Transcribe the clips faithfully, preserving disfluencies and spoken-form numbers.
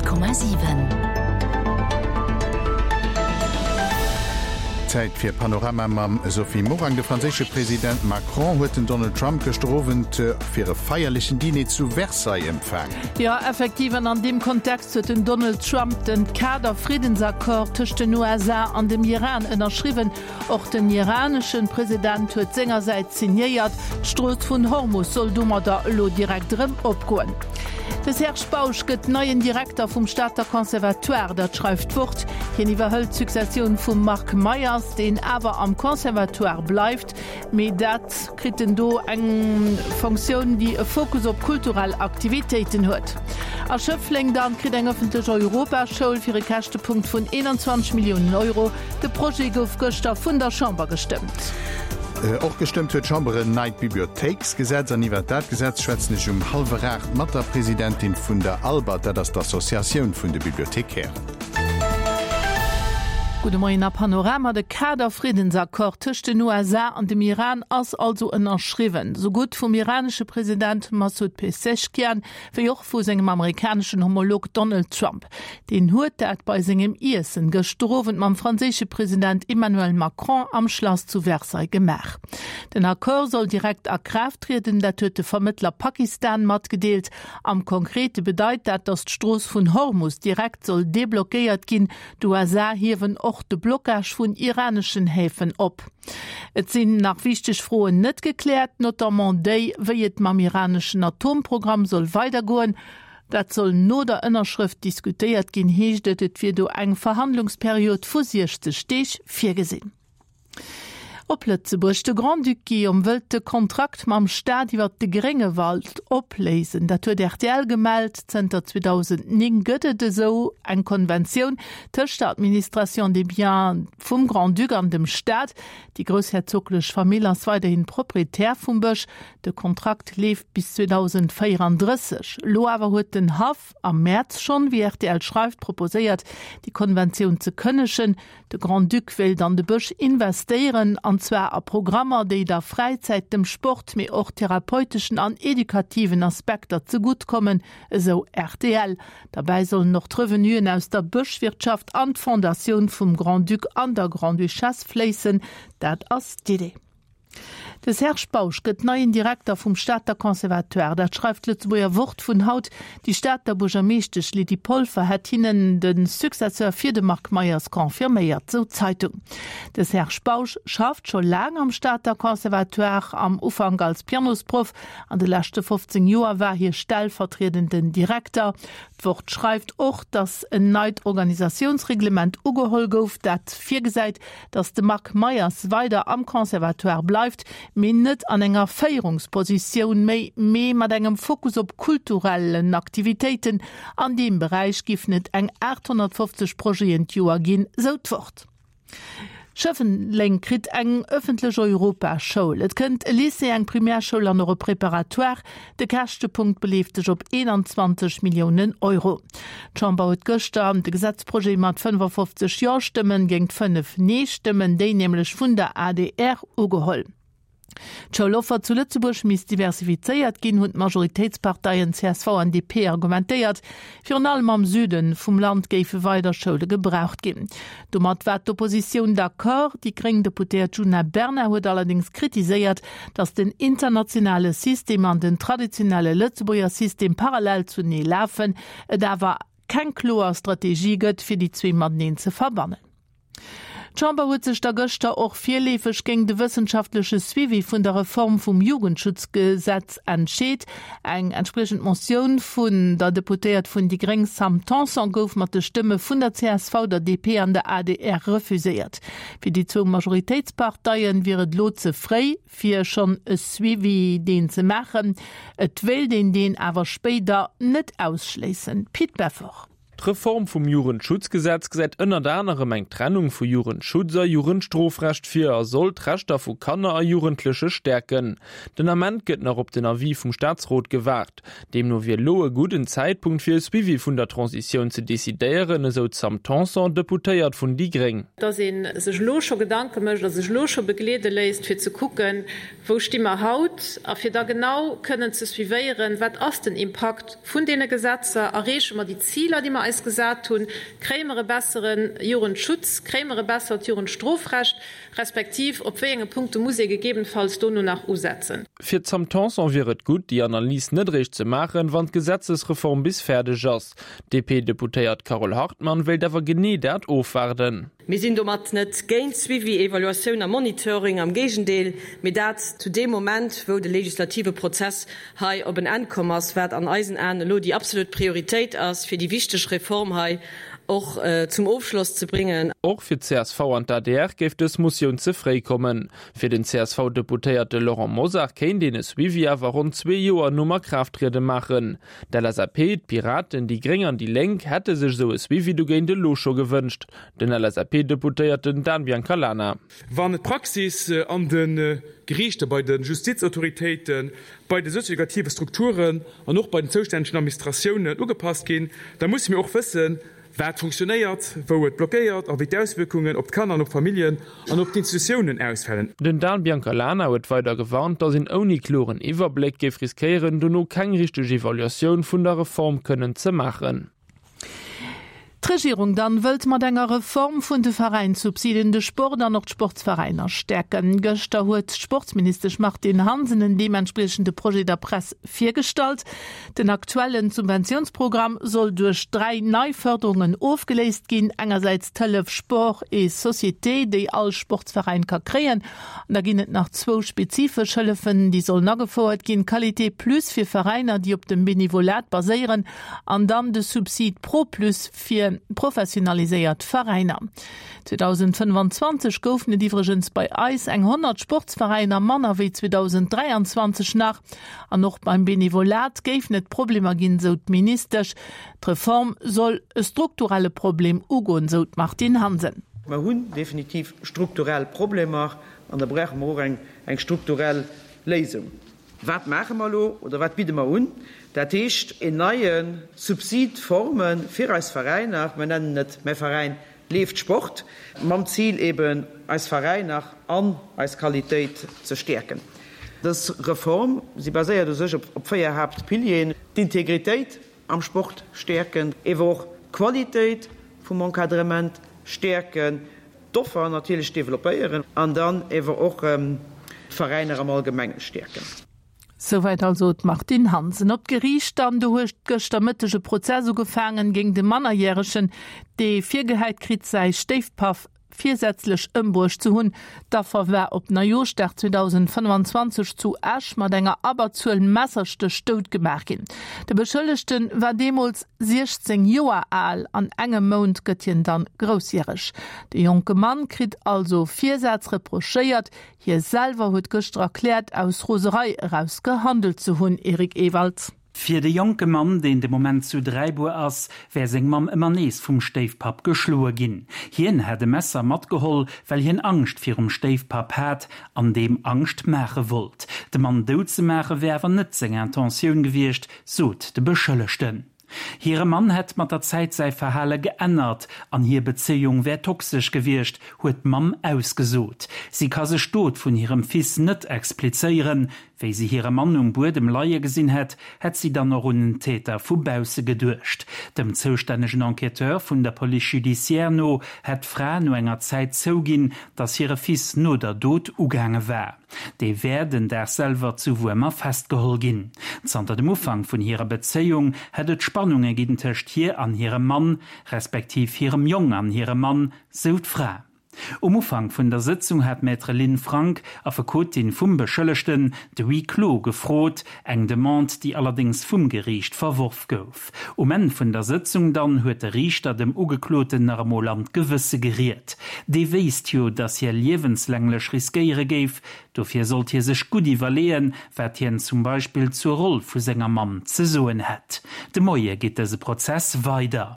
Honnert Komma siwen. Zäit fir Panorama mam Sophie Morang. De franséische President Macron huet den Donald Trump gëschter Owend fir e feierlechen Diner zu Versailles empfaangen. Jo, effektiv, an an deem Kontext huet den Donald Trump den Kader-Friddensaccord tëscht den U S A an dem Iran ënnerschriwwen. Och den iraneschen President huet sengersäits signéiert. D'Strooss vun Hormus soll domadder elo direkt erëm opgoen. De Serge Bausch gëtt neien Direkter vum Stater Conservatoire, dat schreift d'Wort. Hien iwwerhëlt d'Successioun vum Marc Meyers, deen awer am Conservatoire bleift. Mee dat kritt en do eng Fonctioun, déi e Fokus op kulturell Aktivitéiten huet. A Schëffleng dann kritt eng ëffentlech Europaschoul fir e Käschtepunkt vun eenanzwanzeg Milliounen Euro. De Projet gouf gëschter vun der Chamber gestëmmt. Och gestëmmt huet d'Chamber en neit Bibliothéiksgesetz an iwwer dat Gesetz schwätzen ech um hallwer aacht mat der Presidentin vun der ALBA, dat ass d'Associatioun vun de Bibliothekären. Gudde Moien a Panorama. De Kader-Friddensaccord tëscht den U S A an dem Iran ass also ënnerschriwwen. Sou gutt vum iranesche President Masoud Pezeshkian wéi och vu sengem amerikaneschen Homolog Donald Trump. Deen huet dat bei sengem Iessen gëschter Owend mam franséische President Emmanuel Macron am Schlass zu Versailles gemaach. Den Accord soll direkt a Kraaft trieden, dat huet de Vermëttler Pakistan matgedeelt. Am Konkrete bedeit dat, datt d'Strooss vun Hormus direkt soll deblockéiert ginn. D'U S A hiewen och de Blockage vun iraneschen Häfen op. Et sinn nach wichteg Froen net gekläert, notamment déi, wéi et mam iraneschen Atomprogramm soll weidergoen. Dat soll no der Ënnerschrëft diskutéiert ginn, heescht et, et wier do eng Verhandlungsperiod vu siechzeg Deeg virgesinn. Op Lëtzebuerg, de Grand-Duc Guillaume wëllt de Kontrakt mam Staat iwwer de Gréngewald opléisen. Dat huet R T L gemellt. Zënter zweedausendnéng gëtt et esou eng Konventioun tëscht der Administration des Biens vum Grand-Duc an dem Staat. Déi groussherzoglech Famill ass weiderhin Proprietär vum Bësch. De Kontrakt leeft bis zweedausendvéierunddrësseg. Lo awer huet den Haff am März schonn, wéi R T L schreift, proposéiert, déi Konventioun ze kënnegen. De Grand-Duc wéilt an de Bësch investéieren, an zwar a Programmer, déi der Fräizäit, dem Sport, mee och therapeuteschen an edukativen Aspekter zeguttkommen, esou R T L. Dabei sollen och d'Revenuen aus der Bëschwirtschaft an d'Fondatioun vum Grand-Duc an der Grand-Duchesse fléissen. Dat ass d'Idee. De Serge Bausch gëtt neien Direkter vum Stater Conservatoire. Dat schreift d'Lëtzebuerger Wort vun haut. Déi Stater Buergermeeschtesch Lydie Polfer hätt hinnen de Successeur fir de Marc Meyers confirméiert, sou d'Zeitung. De Serge Bausch schafft scho laang am Stater Conservatoire, am Ufank als Pianosproff. An de leschte fofzéng Joer war hie stellvertriedenden Direkter. D'Wort schreift och, datt en neit Organisatiounsreglement ugeholl gouf, dat virgesäit, datt de Marc Meyers weider am Conservatoire bleift, mee net an enger Féierungspositioun méi, mee mat engem Fokus op kulturellen Aktivitéiten. An deem Beräich giff net eng achthonnertfofzeg Projeten d'Joer ginn, sou d'Wort. Schëffleng kritt eng ëffentlech Europaschoul. Et kënnt e Lycée, eng Primärschoul an och e Préparatoire. De Käschtepunkt beleeft sech op eenanzwanzeg Milliounen Euro. D'Chamber huet gëschter de Gesetzprojet mat fënnefofzeg Ja-Stëmmen géint fënnef Nee-Stëmmen, déi nämlech vun der A D R ugeholl. D'Schouloffer zu Lëtzebuerg misst diversifizéiert ginn, hunn d'Majoritéitsparteien C S V an D P argumentéiert. Virun allem am Süden vum Land géife weider Schoule gebraucht ginn. Domat war d'Oppositioun d'accord. Déi gréng Deputéiert Djuna Bernard huet allerdings kritiséiert, datt den internationale System an den traditionelle Lëtzebuerger System parallel zunee lafen, et awer keng kloer Strategie gëtt, fir déi zwee mateneen ze verbannen. D'Chamber huet sech da gëschter och virleefeg géint de wëssenschaftleche Suivi vun der Reform vum Jugendschutzgesetz entscheet. Eng entsprechend Motioun vun der Deputéiert vun déi Gréng Sam Tanson gouf mat de Stëmme vun der C S V, der D P an der A D R refuséiert. Fir déi zwou Majoritéitsparteien wier et lo ze fréi, fir schonn e Suivi deen ze maachen. Et wéilt een deen awer spéider net ausschléissen. Pit Beffort. D'Reform vum Jugendschutzgesetz gesäit ënnert anerem eng Trennung vu Jugendschutz a Jugendstrofrecht vir a soll d'Rechter vu Kanner a Jugendleche stärken. Den Ament gëtt nach op den Avis vum Staatsrot gewaart. Deemno wier lo e gudden Zäitpunkt fir e Suivi vun der Transitioun ze decidéieren, esou d'Sam Tanson, Deputéiert vun déi Gréng. Dass een sech lo scho Gedanke mécht, dass sech lo scho begleede léisst, fir ze kucken, wou sti mer haut a fir da genau kënnen ze suivéieren, wat ass den Impakt vun deene Gesetzer, erreeche mer déi Ziler, déi mer mer eis gesat hunn, Kréie mer e bessere Jugendschutz, kréie mer e bessert Jugendstrofrecht, respektiv op wéi enge Punkte muss ee gegebenfalls dono nach usetzen. Fir d'Sam Tanson wier et gutt, déi Analys net eréischt ze maachen, wann d'Gesetzesreform bis fäerdeg ass. D'DP-Deputéiert Carole Hartmann wéilt awer genee dat ofwaarden. Mir sinn domat net géint Suivi, Evaluatioun a Monitoring, am Géigendeel, mee dat zu deem Moment, wou de legislative Prozess hei op en Enn komm ass, wat an eisen Aen elo déi absolut Prioritéit ass, fir déi wichteg Reform hei och zum Ofschloss ze bréngen. Och fir d'CSV an d'ADR géif dës Motioun ze fréi kommen. Fir den CSV-Deputéierte Laurent Mosar kéint een e Suivi awer ronn zwee Joer nom Akraafttriede maachen. D'LSAP, d'Piraten, déi Gréng an déi Lénk hätte sech esou e Suivi dogéint elo scho gewënscht. Den LSAP-Deputéierten Dan Biancalana. Wann d'Praxis an de Geriichter, bei de Justizautoritéiten, bei de sozioeducative Strukturen an och bei den zoustännegen Administratiounen ugepasst ginn, da musse mir och wëssen, wat funktionéiert, wou et blockéiert a wéi d'Auswierkungen op d'Kanner an op d'Familljen an op d'Institutiounen ausfalen. Den Dan Biancalana huet weider gewarnt, datt een ouni kloren Iwwerbléck géif riskéieren, dono keng richteg Evaluatioun vun der Reform kënnen ze maachen. D'Regierung dann wëllt mat enger Reform vun de Veräinssubsiden de Sport an och d'Sportsveräiner stäerken. Gëschter huet d'Sportsministesch Martine Hansen en deementspriechende Projet der Press virgestallt. Den aktuellen Subventiounsprogramm soll duerch dräi nei Fërderungen ofgeléist ginn, engersäits d'Hëllef Sport et Société, déi all Sportsveräin ka kréien, an da ginn et nach zwou spezifesch Hëllefen, déi sollen agefouert ginn, Qualité Plus fir Veräiner, déi op dem Benevolat baséieren, an dann de Subsid Pro Plus fir professionaliséiert Veräiner. zweedausendfënnefanzwanzeg goufen et iwwregens bei eis eng honnert Sportsveräiner manner wéi zweedausendräianzwanzeg nach. An och beim Benevolat géifen et Problemer ginn, sou d'Ministesch. D'Reform soll e strukturelle Problem ugoen, sou d'Martine Hansen. Mer hunn definitiv strukturell Problemer an da brauche mer och eng strukturell Léisung. Wat maache mer elo oder wat bidde mer un? Dat heescht en neie Subsid forme fir eis Veräiner, mer nennen et Mäi Veräin leeft Sport, mam Zil eben eis Veräiner an eis Qualitéit ze stäerken. Dës Reform, si baséiert u sech op véier Haaptpilieren, d'Integritéit am Sport stäerken, ewer och d'Qualitéit vum Encadrement stäerken, d'Offer natierlech developpéieren an dann ewer och d'Veräiner am Allgemenge stäerken. Souwäit also d'Martine Hansen. Op d'Geriicht dann, do huet gëschter Mëtteg e Prozess ugefaangen géint e Mannerjäregen, dee virgehäit kritt, säi Stéifpapp virsätzlech ëmbruecht ze hunn. D'Affer war op Neijooschdag zweedausendfënnefanzwanzeg zu Esch mat enger Abberzuel Messerstéch dout gemaach ginn. De Beschëllegte war deemools siechzéng Joer al, an engem Mount gëtt hien dann groussjäreg. De jonke Mann kritt also Virsaz reprochéiert. Hie selwer huet gëschter erkläert, aus Roserei eraus gehandelt ze hunn. Eric Ewald. Fir de jonke Mann, deen de Moment zu Dräibuer ass, wär seng Mamm ëmmer nees vum Stéifpapp geschloe ginn. Hien hätt e Messer matgeholl, well hien Angscht virum Stéifpapp hat an deem Angscht maache wollt. De Mann dout ze maache wär awer net seng Intentioun gewiescht, sot de Beschëllegten. Hire Mann hätt mat der Zäit säi Verhale geännert an hir Bezéiung wär toxesch gewiescht, huet d'Mamm ausgesot. Si ka sech d'Dot vun hirem Fils net explizéieren. Wéi si hire Mann um Buedem leie gesinn hätt, hätt si dann och un en Täter vu bausse geduecht. Dem zoustännegen Enquêteur vun der Police judiciaire no hätt d'Fra no enger Zäit zouginn, datt hire Fils no der Dot ugaange war. Dee wär den Dag selwer zu Wuermer festgeholl ginn. Zanter dem Ufank vun hirer Bezéiung hätt et Spannunge ginn tëscht hir an hirem Mann, respektiv hirem Jong an hirem Mann, sou d'Fra. Um Ufank vun der Sëtzung hat d'Maître Lynn Frank, Affekotin vum Beschëllegten, de Huis clos gefrot, eng Demande, déi allerdéngs vum Geriicht verworf gouf. Um Enn vun der Sëtzung dann huet de Riichter dem Ugekloten nach emol an d'Gewësse geriet. Dee wéisst jo, datt hie liewenslänglech riskéiere géif, dofir sollt hie sech gutt iwwerleeën, wat hien zum Beispill zur Roll vu senger Mamm ze soen hätt. De Moie geet dëse Prozess weider.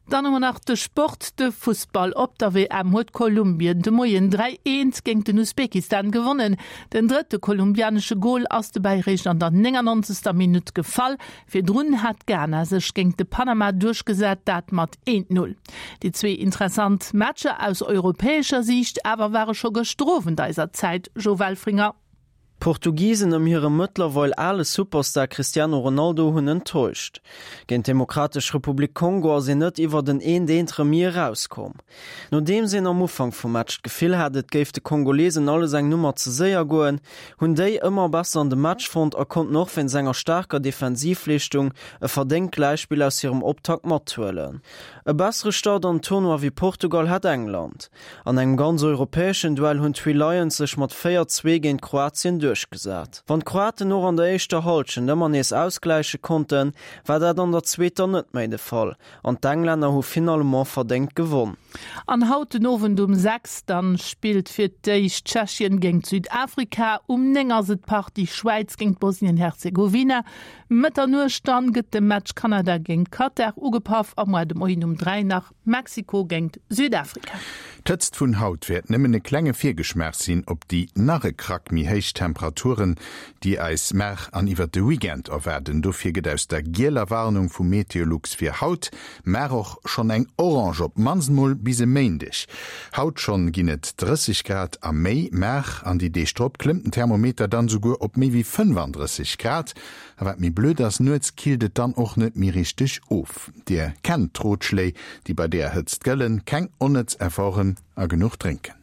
Dann hu mer nach de Sport, de Fussball. Op der W M huet Kolumbien de Moien dräi, eent géint den Usbekistan gewonnen. Den drëtte kolumbianesche Gol ass dobäi réischt an der néngannonzegster Minutt gefall. Virdrun hat Ghana sech géint de Panama duerchgesat, dat mat eent, null. Déi zwee interessant Matcher aus europäescher Siicht awer ware scho gëschter Owend eiser Zäit, Joe Welfringer. D'Portugisen ëm hire mëttlerweil ale Superstar Cristiano Ronaldo hunn enttäuscht. Géint d'Demokratesch Republik Kongo ass een net iwwert en eent eent Remis erauskomm. Nodeems een am Ufank vum Match d'Gefill hat, et géif de Kongolesen alles eng Nummer ze séier goen, hunn déi ëmmer besser an de Match fonnt a konnten och wéinst enger staarker Defensivleeschtung e verdéngt Gläichspill aus hirem Optakt mathuelen. E bessere Start an den Tournoi wéi Portugal hat England. An engem ganz europäeschen Duell hunn d'Three Lions sech mat véier, zwee géint Kroatien duerchgesat. Wann d'Kroaten och an der éischter Hallschent ëmmer nees ausgläiche konnten, war dat an der zweeter net méi de Fall an d'Englänner hu finalement verdéngt gewonn. An haut den Owend um sechs dann spillt fir d'éischt Tschechien géint Südafrika, um néng ass et d'Partie Schwäiz géint Bosnien-Herzegowina. Mëtternuecht dann gëtt de Match Kanada géint Katar ugepaff a muer de Moien um dräi nach Mexiko géint Südafrika. D'Hëtzt vun haut wäert nëmmen e klenge Virgeschmaach sinn op déi nach e Krack méi héich Temperaturen, déi eis mar an iwwert de Weekend erwaarden. Dofir gëtt aus der gieler Warnung vu Meteolux fir haut mar och schonn eng orange, op d'mannst mol bis e Méindeg. Haut schonn ginn et drësseg Grad a méi, mar an déi Deeg drop klëmmt den Thermometer dann souguer op méi wéi fënnfandrësseg Grad. A wat méi blöd ass, nuets killt et dann och net méi richteg of. Dir kennt d'Rotschléi, déi bei deeër Hëtzt gëllen, keng onnëtz Efforten a genuch drénken.